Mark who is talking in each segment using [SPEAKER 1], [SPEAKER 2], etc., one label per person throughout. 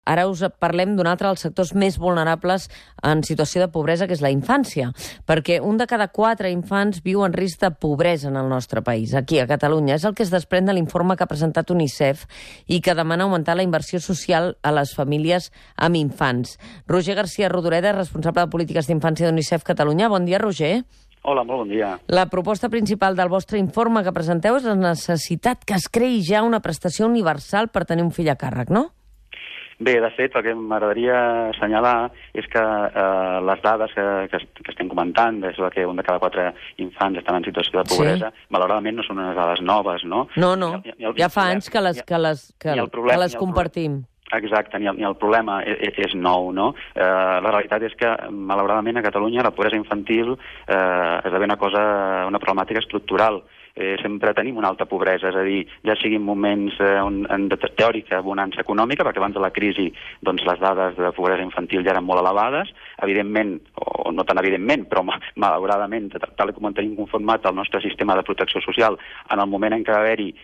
[SPEAKER 1] Ara us parlem d'un altre dels sectors més vulnerables en situació de pobresa, que és la infància, perquè un de cada 4 infants viu en risc de pobresa en el nostre país, aquí a Catalunya. És el que es desprèn de l'informe que ha presentat UNICEF i que demana augmentar la inversió social a les famílies amb infants. Roger García Rodoreda, responsable de polítiques d'infància d'UNICEF Catalunya. Bon dia, Roger.
[SPEAKER 2] Hola, molt bon dia.
[SPEAKER 1] La proposta principal del vostre informe que presenteu és la necessitat que es creï ja una prestació universal per tenir un fill a càrrec, no?
[SPEAKER 2] Bé, de fet, el que m'agradaria assenyalar és que les dades que estem comentant, des que un de cada 4 infants estan en situació de pobresa, malauradament no són unes dades noves, no?
[SPEAKER 1] No, ja fa anys que les compartim.
[SPEAKER 2] Exacte, ni el problema és nou, no? La realitat és que, malauradament, a Catalunya la pobresa infantil esdevé una problemàtica estructural. Sempre tenim una alta pobresa, és a dir, ja sigui en moments de teòrica bonança econòmica, perquè abans de la crisi doncs, les dades de pobresa infantil ja eren molt elevades, evidentment, o no tan evidentment, però malauradament, tal com en tenim conformat el nostre sistema de protecció social, en el moment en què va haver-hi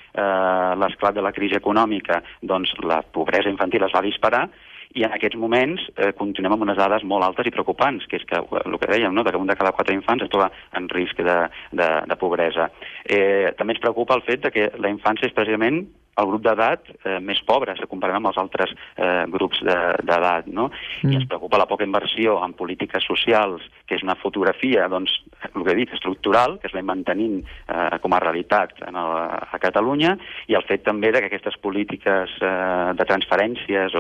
[SPEAKER 2] l'esclat de la crisi econòmica, doncs la pobresa infantil es va disparar, i en aquests moments continuem amb unes dades molt altes i preocupants, que és que el que dèiem, no? Que un de cada 4 infants es troba en risc de pobresa. També ens preocupa el fet que la infància és precisament el grup d'edat més pobre, si comparem amb els altres grups d'edat, no? I ens preocupa la poca inversió en polítiques socials, que és una fotografia, doncs, el que he dit, estructural, que es va mantenint com a realitat a Catalunya, i el fet també que aquestes polítiques de transferències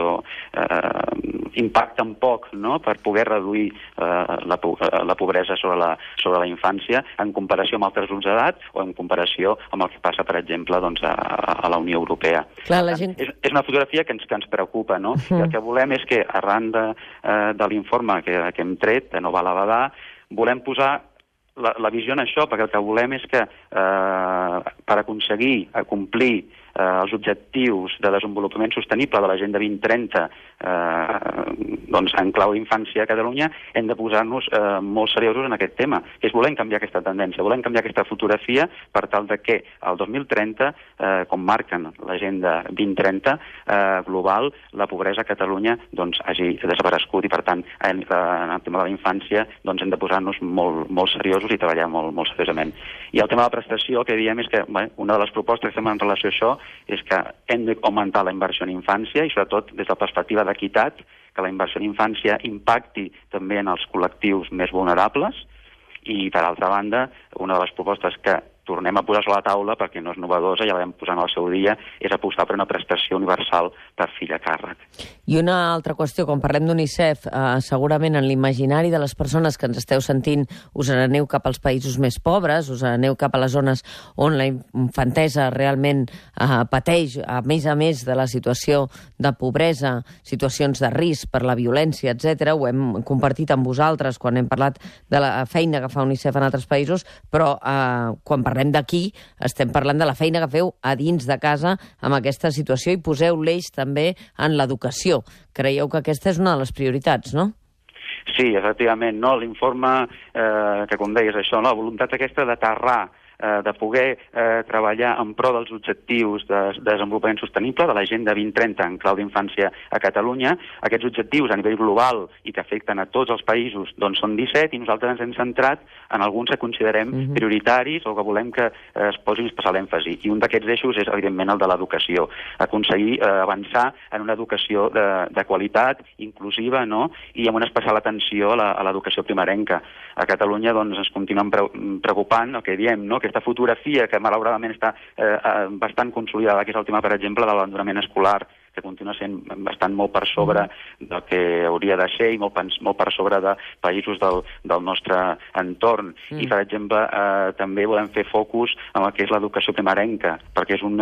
[SPEAKER 2] impacten poc, no?, per poder reduir la pobresa sobre la infància en comparació amb altres grups d'edat o en comparació amb el que passa, per exemple, doncs, a la Unió Europea.
[SPEAKER 1] Clar, la gent...
[SPEAKER 2] És una fotografia que ens preocupa, no? I el que volem és que, arran de l'informe que hem tret, de no val a badar, volem posar la visió en això, perquè el que volem és que per aconseguir complir els objectius de desenvolupament sostenible de l'Agenda 2030 doncs en clau d'infància a Catalunya, hem de posar-nos molt seriosos en aquest tema, que és volem canviar aquesta tendència, volem canviar aquesta fotografia per tal de que el 2030, com marquen l'Agenda 2030 global, la pobresa a Catalunya doncs hagi desaparegut i per tant en el tema de la infància doncs hem de posar-nos molt seriosos i treballar molt seriosament. I el tema de la prestació, el que diem és que una de les propostes que fem en relació a això és que hem d'augmentar la inversió en infància i sobretot des de la perspectiva d'equitat, que la inversió en infància impacti també en els col·lectius més vulnerables i, per altra banda, una de les propostes que tornem a posar sobre la taula, perquè no és novedosa, ja la vam posar en el seu dia, és apostar per una prestació universal per fill a càrrec.
[SPEAKER 1] I una altra qüestió, quan parlem d'UNICEF, segurament en l'imaginari de les persones que ens esteu sentint us n'aneu cap als països més pobres, us n'aneu cap a les zones on la infantesa realment pateix, a més de la situació de pobresa, situacions de risc per la violència, etc. Ho hem compartit amb vosaltres quan hem parlat de la feina que fa UNICEF en altres països, però quan parlem d'aquí, estem parlant de la feina que feu a dins de casa amb aquesta situació i poseu l'eix també en l'educació. Creieu que aquesta és una de les prioritats, no?
[SPEAKER 2] Sí, efectivament, no? L'informe que, com deies, això, no? La voluntat aquesta d'aterrar, de poder treballar en pro dels objectius de desenvolupament sostenible de l'Agenda 2030 en clau d'infància a Catalunya. Aquests objectius a nivell global i que afecten a tots els països doncs són 17 i nosaltres ens hem centrat en alguns que considerem prioritaris o que volem que es posi especial èmfasi. I un d'aquests eixos és, evidentment, el de l'educació. Aconseguir avançar en una educació de qualitat, inclusiva, no?, i amb una especial atenció a l'educació primerenca. A Catalunya doncs, ens continuen preocupant el que diem, no?, aquesta fotografia que malauradament està bastant consolidada, que és el tema, per exemple, de l'abandonament escolar, que continua sent molt per sobre del que hauria de ser i molt per sobre de països del nostre entorn. I, per exemple, també volem fer focus en el que és l'educació primerenca, perquè és un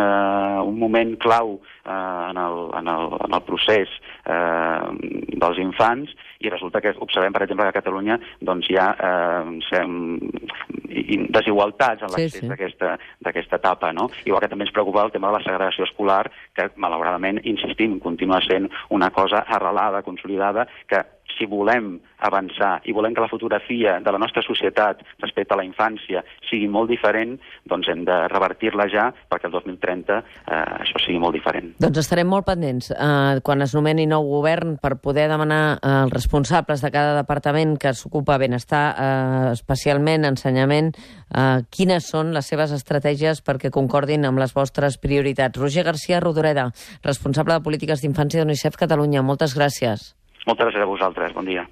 [SPEAKER 2] moment clau en el procés dels infants i resulta que observem, per exemple, que a Catalunya doncs, hi ha desigualtats en l'accés d'aquesta etapa, no? Igual que també ens preocupa el tema de la segregació escolar, que malauradament, insistim, continua sent una cosa arrelada, consolidada, que si volem avançar i volem que la fotografia de la nostra societat respecte a la infància sigui molt diferent, doncs hem de revertir-la ja perquè el 2030 això sigui molt diferent.
[SPEAKER 1] Doncs estarem molt pendents quan es nomeni nou govern per poder demanar als responsables de cada departament que s'ocupa benestar, especialment ensenyament, quines són les seves estratègies perquè concordin amb les vostres prioritats. Roger García Rodoreda, responsable de polítiques d'infància d'UNICEF Catalunya. Moltes gràcies.
[SPEAKER 2] Moltes gràcies a vosaltres. Bon dia.